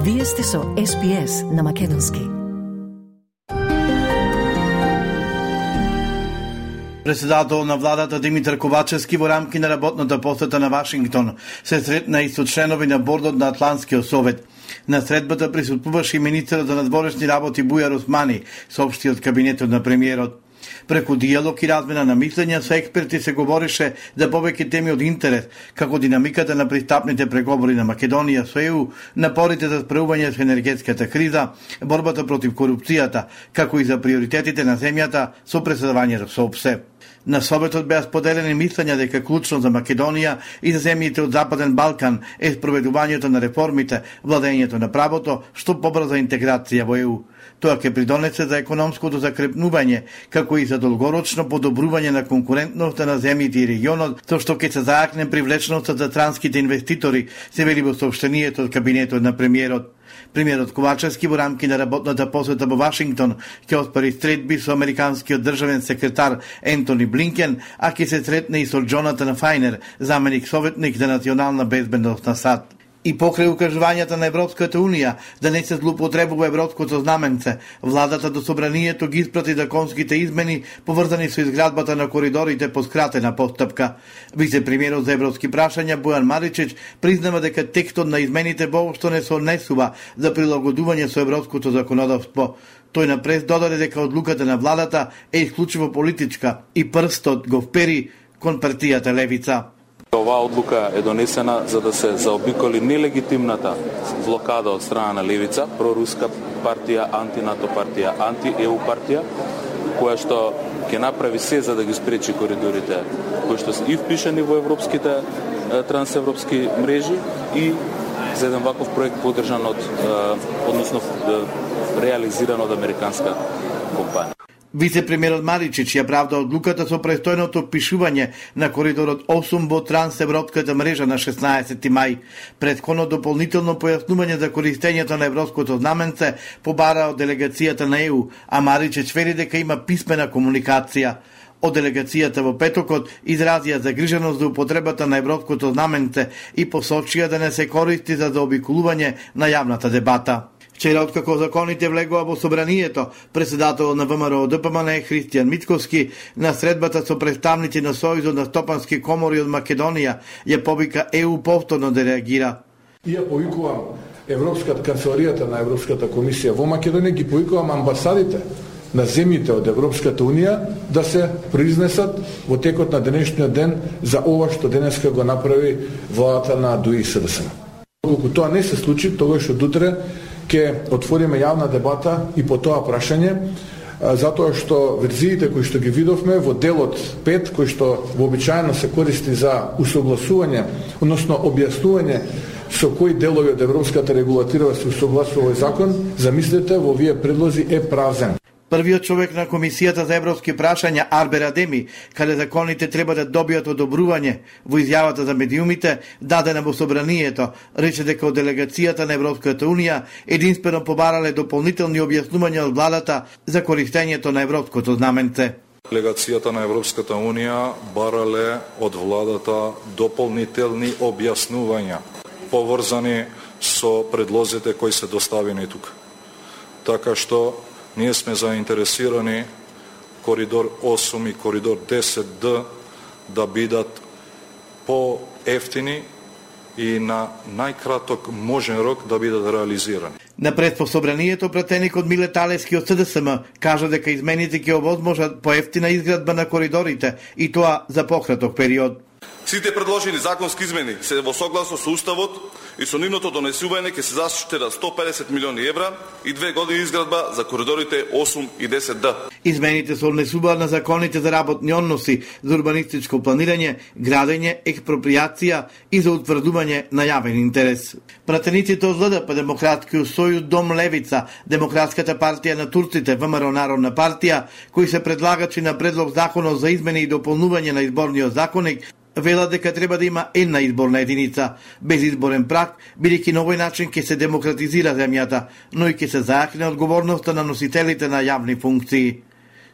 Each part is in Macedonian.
Вие сте со SPS на македонски. Председател на владата Димитар Ковачевски во рамки на работната посета на Вашингтон се сретна и со членови на бордот на Атлантскиот совет. На средбата присуствуваше и министерот за надворешни работи Бујар Османи, соопшти од кабинетот на премиерот. Преку диалог и размена на мислења со експерти се говорише за повеќе теми од интерес, како динамиката на пристапните преговори на Македонија со ЕУ, напорите за справување со енергетската криза, борбата против корупцијата, како и за приоритетите на земјата со преседавањето со ОПСЕ. На советот беа споделени мислења дека клучно за Македонија и за земјите од Западен Балкан е спроведувањето на реформите, владењето на правото, што побрза интеграција во ЕУ. Тоа ќе придонесе за економското закрепнување, како и за долгорочно подобрување на конкурентноста на земјите и регионот, со што ќе се зајакне привлечноста за странските инвеститори, се вели во соопштението од кабинетот на премиерот. Премиерот Ковачевски во рамки на работната посета во Вашингтон ќе оспари средби со американскиот државен секретар Ентони Блинкен, а ќе се сретне и со Джонатан Фајнер, заменик советник за национална безбедност на САД. И покрај укажувањата на Европската Унија да не се злоупотребува европското знаменце, владата до собранието ги испрати законските измени поврзани со изградбата на коридорите по скратена постапка. Вице-премиерот за европски прашања Бојан Маричич признава дека текстот на измените воопшто не се однесува за прилагодување со европското законодавство. Тој напред додаде дека одлуката на владата е исклучиво политичка и прстот го впери кон партијата Левица. Оваа одлука е донесена за да се заобиколи нелегитимната блокада од страна на Левица, проруска партија, антинато партија, анти-ЕУ партија, која што ќе направи се за да ги спречи коридорите, кои што се и впишани во европските трансевропски мрежи и за еден ваков проект поддржан односно реализиран од американска компанија. Вице-премиерот Маричич ја правда одлуката со престојното впишување на коридорот 8 во трансевропската мрежа на 16 мај. Претходно дополнително појаснување за користењето на европското знаменце побара од делегацијата на ЕУ, а Маричич вели дека има писмена комуникација. Од делегацијата во петокот изразија загриженост за употребата на европското знаменце и посочија да не се користи за заобиколување на јавната дебата. Вчера, откако законите влегува во собранието, председател на ВМРО ДПМН Христијан Мицковски на средбата со представници на Сојузот на стопански комори од Македонија ја повика ЕУ повторно да реагира. Ја повикувам Европската канцеларијата на Европската комисија во Македонија, ги повикувам амбасадите на земјите од Европската Унија да се произнесат во текот на денешниот ден за ова што денеска го направи владата на ДУИ СДСМ. Колку тоа не се случи, тогаш од утре ќе отвориме јавна дебата и по тоа прашање, затоа што верзиите кои што ги видовме во делот 5, кои што вообичаено се користи за усогласување, односно објаснување со кои делови од европската регулатива се усогласува овој закон, замислете, во овие предлози е празен. Првиот човек на Комисијата за европски прашања Арбер Адеми, каде законите треба да добијат одобрување во изјавата за медиумите, дадена во собранието, рече дека од делегацијата на Европската Унија единствено побарале дополнителни објаснувања од владата за користењето на европското знаменце. Делегацијата на Европската Унија барале од владата дополнителни објаснувања поврзани со предлозите кои се доставени тука. Така што ние сме заинтересирани коридор 8 и коридор 10Д да бидат по-ефтини и на најкраток можен рок да бидат реализирани. Напред по собранието пратеникот Миле Талески од СДСМ кажа дека измените ќе овозможат поевтина изградба на коридорите и тоа за пократок период. Сите предложени законски измени се во согласно со Уставот и со нивното донесување ќе се заштедат 150 милиони евра и 2 години изградба за коридорите 8 и 10Д. Измените се однесуваат на законите за работни односи, за урбанистичко планирање, градење, експроприација и за утврдување на јавен интерес. Пратениците од ЛДП, Демократскиот сојуз, Дом Левица, Демократската партија на турците, ВМРО Народна партија, кои се предлагачи на предлог законот за измени и дополнување на изборниот законник, велат дека треба да има една изборна единица, без изборен праг, бидејќи на овој начин ќе се демократизира земјата, но и ќе се зајакне одговорноста на носителите на јавни функции.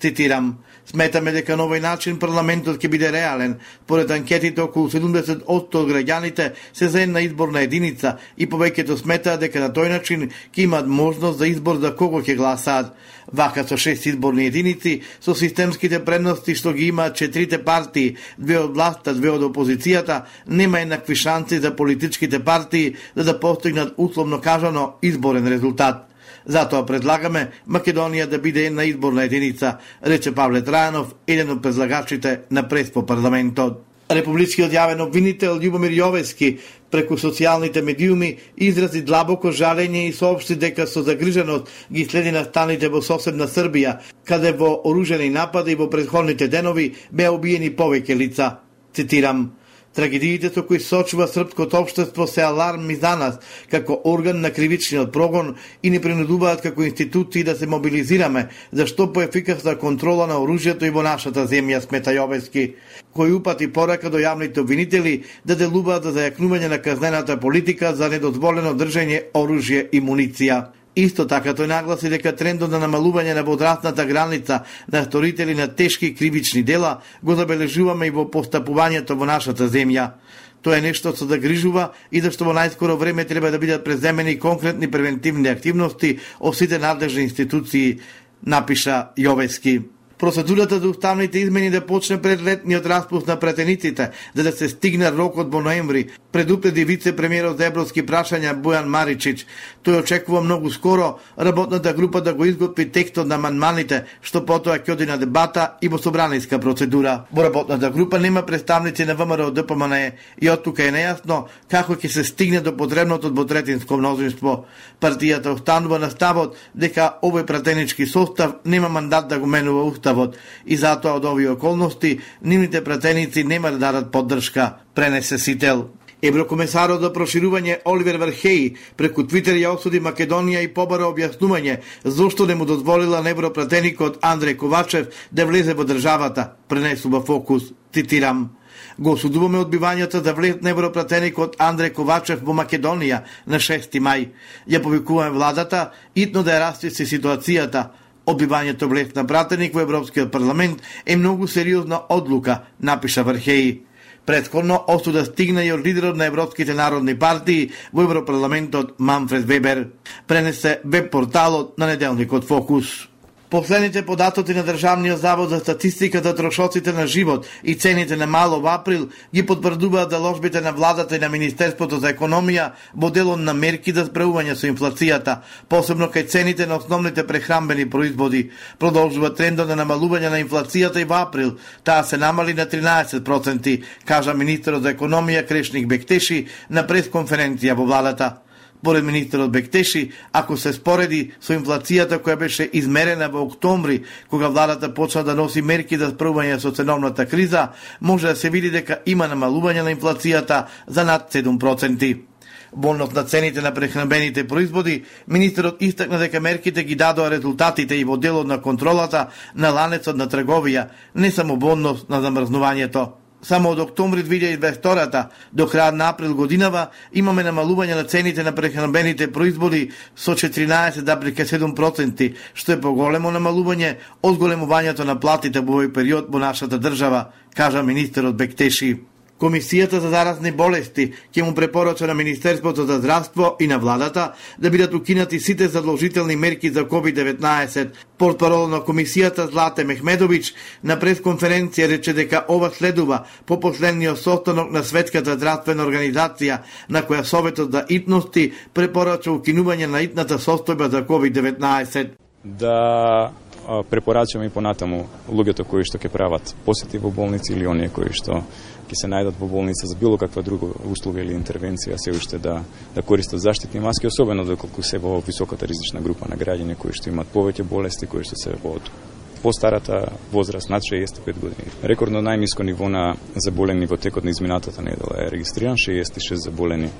Цитирам: "Сметаме дека на овој начин парламентот ќе биде реален. Според анкетите, околу 70% од граѓаните се за една изборна единица и повеќето сметаат дека на тој начин ќе имаат можност за избор за кого ќе гласаат. Вака со 6 изборни единици, со системските предности што ги имаат 4 партии, 2 од власта, 2 од опозицијата, нема еднакви шанси за политичките партии да постигнат условно кажано изборен резултат. Затоа предлагаме Македонија да биде една изборна единица", рече Павле Трајанов, еден од предлагачите на прес по парламентот. Републичкиот јавен обвинител Љубомир Јовески преку социјалните медиуми изрази длабоко жалење и соопшти дека со загриженост ги следи настаните во соседна Србија, каде во оружени напади во претходните денови беа убиени повеќе лица. Цитирам: "Трагедиите со кои сочува српското општество се аларм и за нас, како орган на кривичниот прогон и ни принудуваат како институции да се мобилизираме за што поефикасна контрола на оружјето и во нашата земја", смета Јовески, кој упати порака до јавните обвинители да делуваат за зајакнување на казнената политика за недозволено држење оружје и муниција. Исто така тој нагласи дека трендот на намалување на возрастната граница на сторители на тешки кривични дела го забележуваме и во постапувањето во нашата земја. Тоа е нешто што загрижува и зашто во најскоро време треба да бидат преземени конкретни превентивни активности од сите надлежни институции, напиша Јовески. Процедурата за уставните измени да почне пред летниот распуст на пратениците, за да се стигне рокот во ноември, предупреди вице-премиерот за европски прашања Бојан Маричич. Тој очекува многу скоро работната група да го изготви текстот на амандманите, што потоа ќе оди на дебата и во собраниска процедура. Во работната група нема представници на ВМРО ДПМНЕ и од тука е нејасно како ќе се стигне до потребното двотретинско мнозинство. Партијата останува на ставот дека овој пратенички состав нема мандат да го менува уставот и затоа од овие околности нивните пратеници нема да дадат поддршка, пренесе Сител. Еврокомесарот за проширување Оливер Вархеј преку Твитер ја осуди Македонија и побара објаснување зошто не му дозволила на европратеникот Андреј Ковачев да влезе во државата, пренесува Фокус. Цитирам: "Го осудуваме одбивањето за влез на европратеникот Андреј Ковачев во Македонија на 6 мај. Ја повикуваме владата итно да ја расчисти ситуацијата. Одбивањето влез на пратеник во Европскиот парламент е многу сериозна одлука", напиша Вархеј. Претходно осуда стигна и од лидерот на Европските народни партии во Европарламентот Манфред Вебер, пренесе веб порталот на неделникот Фокус. Последните податоци на Државниот завод за статистика за трошоците на живот и цените на мало во април ги потврдуваат заложбите на владата и на Министерството за економија во делот на мерки за справување со инфлацијата, посебно кај цените на основните прехранбени производи. Продолжува трендот на намалување на инфлацијата и во април. Таа се намали на 13%, кажа министерот за економија Крешник Бектеши на пресконференција во владата. Според министерот Бектеши, ако се спореди со инфлацијата која беше измерена во октомври, кога владата почна да носи мерки за справување со ценовната криза, може да се види дека има намалување на инфлацијата за над 7%. Во однос на цените на прехранбените производи, министерот истакна дека мерките ги дадоа резултатите и во делот на контролата на ланецот на трговија, не само во однос на замрзнувањето. Само од октомври 2022 до крајот на април годинава имаме намалување на цените на прехранбените производи со 14,7%, што е поголемо намалување од големувањето на платите во овој период во нашата држава, кажа министерот Бектеши. Комисијата за заразни болести ќе му препорача на Министерството за здравство и на владата да бидат укинати сите задолжителни мерки за COVID-19. Портпарол на комисијата Злате Мехмедович на пресконференција рече дека ова следува по последниот состанок на Светската здравствена организација, на која Советот за итности препорача укинување на итната состојба за COVID-19. Да препорачаме и понатаму луѓето кои што ќе прават посети во болници или оние кои што ќе се најдат во болница за било каква друга услуга или интервенција се уште да користат заштитни маски, особено доколку се во високата ризична група на граѓани кои што имаат повеќе болести, кои што се во постарата возраст над 65 години. Рекордно најниско ниво на заболени во текот на изминатата недела е регистриран, 66 заболени.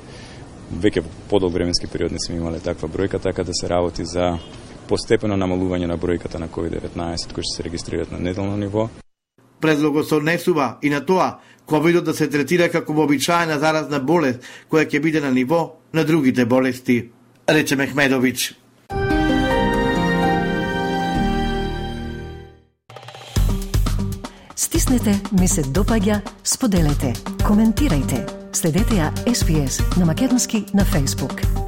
Веќе во подолг временски период не сме имале таква бројка, така да се работи за постепено намалување на бројката на COVID-19 кои што се регистрираат на неделно ниво. Предлогот се однесува и на тоа ковидот да се третира како вообичаена заразна болест која ќе биде на ниво на другите болести, рече Мехмедович. Натиснете ми се допаѓа, споделете, коментирајте. Следете ја SPS на македонски на Facebook.